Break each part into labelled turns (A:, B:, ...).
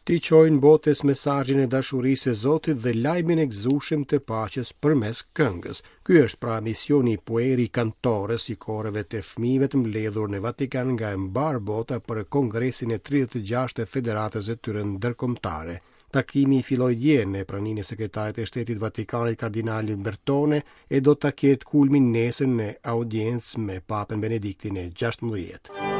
A: T'i çojnë botës mesazhin e dashurisë së Zotit dhe lajmin e gëzueshëm të paqes përmes këngës. Ky është pra misioni i Pueri Cantores i koreve të fëmijëve të mbledhur në Vatikan nga e mbarë bota për Kongresin e 36 të Federatës së tyre Ndërkombëtare. Takimi filloi dje në praninë e sekretarit të Shtetit Vatikanit Kardinalit Bertone e do ta ketë kulmin nesër në audiencë me Papën Benediktin e 16.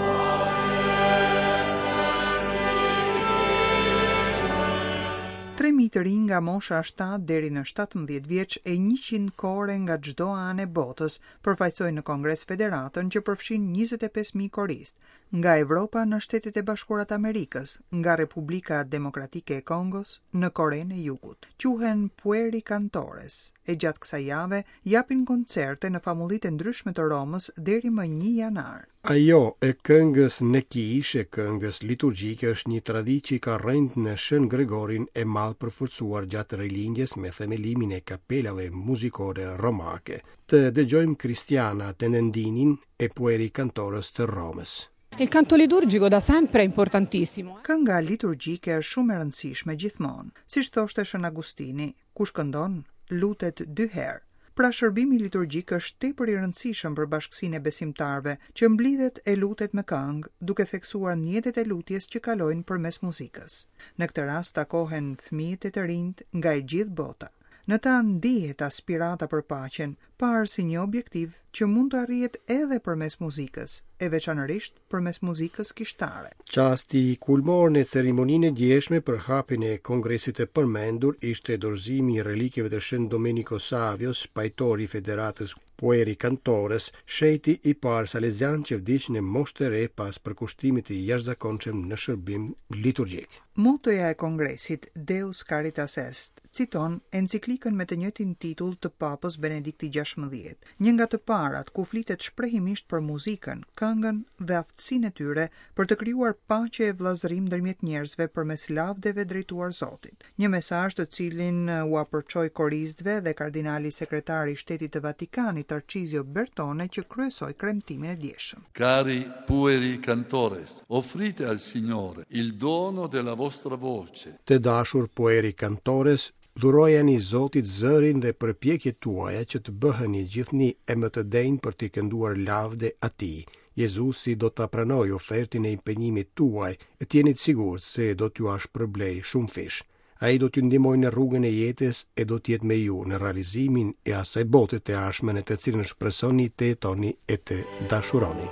B: 3000 të rinj nga mosha 7 deri në 17 vjeç e 100 kore nga çdo anë e botës përfaqësojnë në Kongres Federatën që përfshin 25000 koristë, nga Evropa në Shtetet e Bashkuara të Amerikës, nga Republika Demokratike e Kongos në Korenë e Jugut. Quhen Pueri Cantores e gjatë kësaj jave japin koncerte në famullitë e ndryshme të Romës deri më 1 janar.
A: Ajo e këngës në kishë, e këngës liturgjike është një traditë që i ka rrënjët në Shën Gregorin e Madh përforcuar gjatë Rilindjes me themelimin e kapelave muzikore romake. Të dëgjojmë Cristiana Tenendinin, e Pueri Cantores të Romës.
C: Il canto liturgico da sempre è importantissimo.
B: Kënga liturgjike është shumë e rëndësishme gjithmonë. Siç thoshte Shën Agustini, kush këndon, lutet dy herë. Pra shërbimi liturgjik është tepër i rëndësishëm për bashkësinë e besimtarëve, që mblidhet e lutet me këngë, duke theksuar mjetet e lutjes që kalojnë përmes muzikës. Në këtë rast takohen fëmijët e të rinjtë nga e gjithë bota. Në ta ndihet aspirata për paqen, parë si një objektiv që mund të arrihet edhe përmes muzikës, e veçanërisht përmes muzikës kishtare.
A: Çasti kulmor në ceremoninë e djeshme për hapjen e kongresit të përmendur ishte dorëzimi i relikeve të Shën Domenico Savios, pajtor i Federatës Pueri Cantores, shenjti i parë salezian që vdiq në moshë të re pas përkushtimit të jashtëzakonshëm në shërbim liturgjik.
B: Motoja e kongresit, Deus Caritas Est, citon enciklikën me të njëjtin titull të Papës Benedikti XVI, një nga të parat ku flitet shprehimisht për muzikën, këngën dhe aftësinë e tyre për të krijuar paqe e vëllazërim ndërmjet njerëzve përmes lavdeve drejtuar Zotit. Një mesazh të cilin ua përçoi koristëve dhe kardinali sekretar i Shtetit të Vatikanit, Tarcizio Bertone që kryesoi kremtimin e djeshëm.
D: Cari pueri cantores, offrite al Signore il dono della vostra voce.
A: Të dashur pueri cantores, dhurojani Zotit zërin dhe përpjekjet tuaja që të bëheni gjithnjë e më të denjë për t'i kënduar lavde Atij. Jezusi do ta pranojë ofertën e impenjimit tuaj e të jeni të sigurt se do t'jua shpërblejë shumëfish. Ai do t'ju ndihmojë në rrugën e jetës e do të jetë me ju në realizimin e asaj bote të ardhshme në të cilën shpresoni të jetoni e të dashuroni.